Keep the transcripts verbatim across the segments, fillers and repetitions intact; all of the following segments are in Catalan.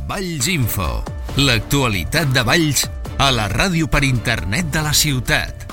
Valls Info, l'actualitat de Valls a la ràdio per internet de la ciutat.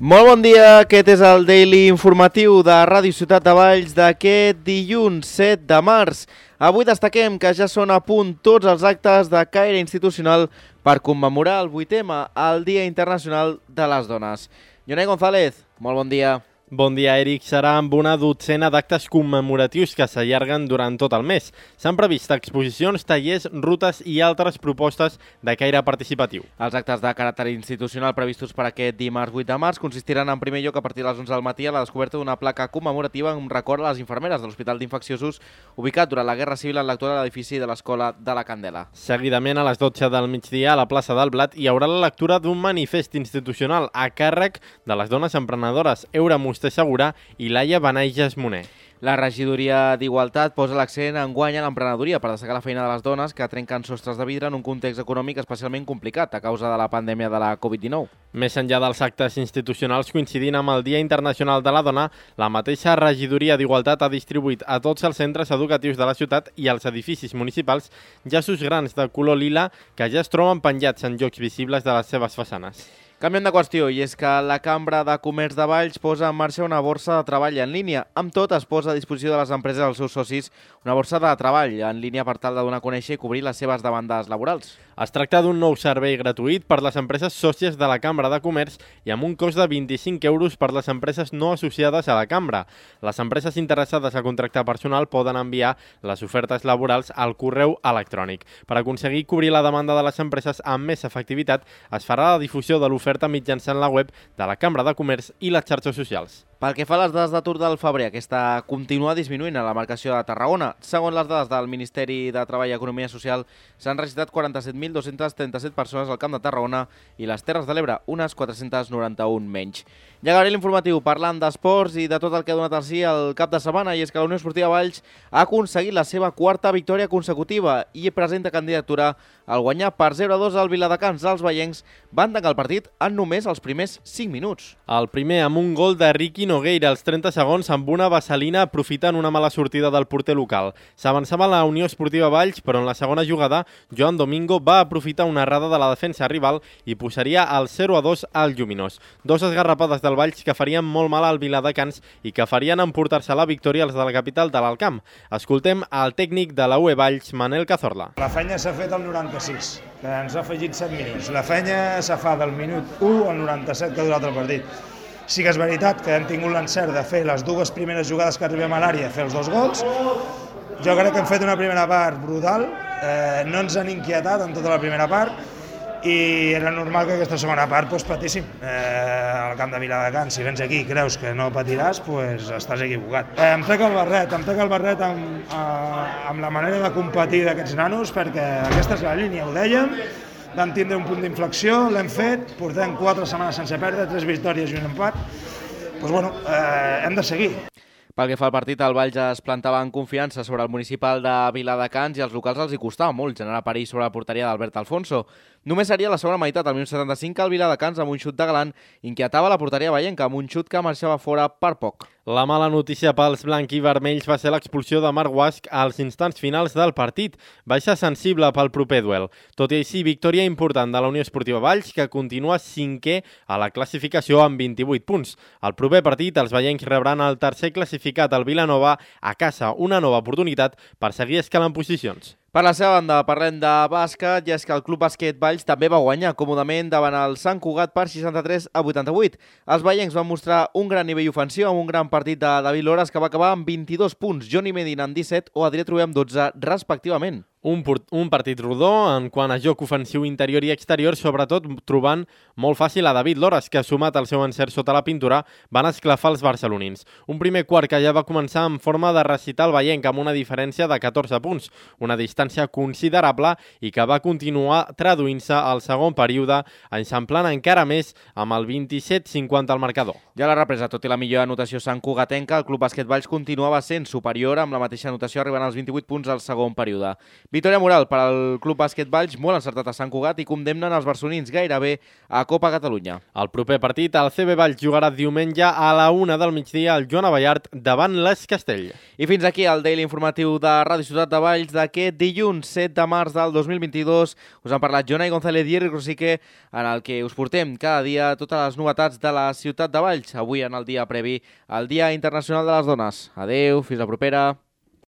Molt bon dia, aquest és el Daily Informatiu de Ràdio Ciutat de Valls d'aquest dilluns set de març. Avui destaquem que ja són a punt tots els actes de caire institucional per commemorar el vuitè M, el Dia Internacional de les Dones. Jonai González, molt bon dia. Bon dia, Eric. Serà amb una dotzena d'actes commemoratius que s'allarguen durant tot el mes. S'han previst exposicions, tallers, rutes i altres propostes de caire participatiu. Els actes de caràcter institucional previstos per aquest dimarts vuit de març consistiran en primer lloc a partir de les onze del matí a la descoberta d'una placa commemorativa en record a les infermeres de l'Hospital d'Infecciosos ubicat durant la Guerra Civil en l'actual edifici de l'Escola de la Candela. Seguidament, a les dotze del migdia, a la plaça del Blat, hi haurà la lectura d'un manifest institucional a càrrec de les dones emprenedores Eura Musté Segura i Laia Benages Moner. La regidoria d'Igualtat posa l'accent en guany a l'emprenedoria per destacar la feina de les dones que trenquen sostres de vidre en un context econòmic especialment complicat a causa de la pandèmia de la covid dinou. Més enllà dels actes institucionals coincidint amb el Dia Internacional de la Dona, la mateixa regidoria d'Igualtat ha distribuït a tots els centres educatius de la ciutat i als edificis municipals llaços grans de color lila que ja es troben penjats en llocs visibles de les seves façanes. Canviem de qüestió, i és que la Cambra de Comerç de Valls posa en marxa una borsa de treball en línia. Amb tot, es posa a disposició de les empreses i els seus socis una borsa de treball en línia per tal de donar a conèixer i cobrir les seves demandes laborals. Es tracta d'un nou servei gratuït per les empreses sòcies de la Cambra de Comerç i amb un cost de vint-i-cinc euros per les empreses no associades a la Cambra. Les empreses interessades a contractar personal poden enviar les ofertes laborals al correu electrònic. Per aconseguir cobrir la demanda de les empreses amb més efectivitat, es farà la difusió de l'oferta mitjançant la web de la Cambra de Comerç i les xarxes socials. Pel que fa a les dades d'atur del febrer, aquesta continua disminuint a la marcació de Tarragona. Segons les dades del Ministeri de Treball i Economia Social, s'han registrat quaranta-set mil dos-cents trenta-set persones al Camp de Tarragona i les Terres de l'Ebre, unes quatre-cents noranta-un menys. Ja acabaré l'informatiu parlant d'esports i de tot el que ha donat al sí el cap de setmana, i és que la Unió Esportiva Valls ha aconseguit la seva quarta victòria consecutiva i presenta candidatura al guanyar per zero a dos al Viladecans. Els veiencs van tancar el partit en només els primers cinc minuts. El primer amb un gol de Riqui Nogueira als trenta segons amb una vaselina aprofitant una mala sortida del porter local. S'avançava la Unió Esportiva Valls, però en la segona jugada Joan Domingo va aprofitar una errada de la defensa rival i posaria el zero a dos al Lluminós. Dos esgarrapades del Valls que farien molt mal al Viladecans i que farien emportar-se la victòria als de la capital de l'Alcamp. Escoltem el tècnic de la U E Valls, Manel Cazorla. La feina s'ha fet al noranta-sis, que ens ha afegit set minuts. La feina s'ha fa del minut u al noranta-set que ha durat el partit. Sí que és veritat que hem tingut l'encert de fer les dues primeres jugades que arribem a l'àrea, fer els dos gols. Jo crec que hem fet una primera part brutal, eh, no ens han inquietat en tota la primera part i era normal que aquesta segona part pues, patíssim. Eh, al camp de Viladecans, si vens aquí i creus que no patiràs, pues, estàs equivocat. Eh, em trec el barret, em trec el barret amb, eh, amb la manera de competir d'aquests nanos, perquè aquesta és la línia, ho dèiem, vam tindre un punt d'inflexió, l'hem fet, portem quatre setmanes sense perdre, tres victòries i un empat. Doncs bueno, eh, hem de seguir. Pel que fa al partit, el Valls es plantava en confiança sobre el municipal de Viladecans i als locals els hi costava molt generar perill sobre la porteria d'Albert Alfonso. Només seria la segona meitat, al minut setanta-cinc, que el Viladecans, amb un xut de galant, inquietava la porteria veienca, amb un xut que marxava fora per poc. La mala notícia pels blanc i vermells va ser l'expulsió de Marc Guasch als instants finals del partit. Baixa sensible pel proper duel. Tot i així, victòria important de la Unió Esportiva Valls, que continua cinquè a la classificació amb vint-i-vuit punts. Al proper partit, els veiencs rebran el tercer classificat, el Vilanova, a casa, una nova oportunitat per seguir escalant posicions. Per la seva banda, parlem de bàsquet, i és que el Club Bàsquet Valls també va guanyar còmodament davant el Sant Cugat per seixanta-tres a vuitanta-vuit. Els veiencs van mostrar un gran nivell ofensiu amb un gran partit de David Loras que va acabar amb vint-i-dos punts, Johnny Medina amb disset o Adrià Trué amb dotze, respectivament. Un, un partit rodó en quant a joc ofensiu interior i exterior, sobretot trobant molt fàcil a David Loras, que, sumat al seu encert sota la pintura, van esclafar els barcelonins. Un primer quart que ja va començar en forma de recital veienc amb una diferència de catorze punts, una distància considerable i que va continuar traduint-se al segon període, eixamplant encara més amb el vint-i-set cinquanta al marcador. Ja la represa, tot i la millor anotació Sant Cugatenca, el Club Bàsquet Valls continuava sent superior amb la mateixa anotació arribant als vint-i-vuit punts al segon període. Victòria moral per al Club Bàsquet Valls, molt encertat a Sant Cugat, i condemnen els barcelonins gairebé a Copa Catalunya. El proper partit, el C B Valls jugarà diumenge a la una del migdia al Joan Abellart davant l'Es Castell. I fins aquí el Daily Informatiu de Ràdio Ciutat de Valls d'aquest dilluns set de març del dos mil vint-i-dos. Us han parlat Jonai González i Eric Rosique, en el que us portem cada dia totes les novetats de la ciutat de Valls. Avui en el dia previ al Dia Internacional de les Dones. Adeu, fins la propera.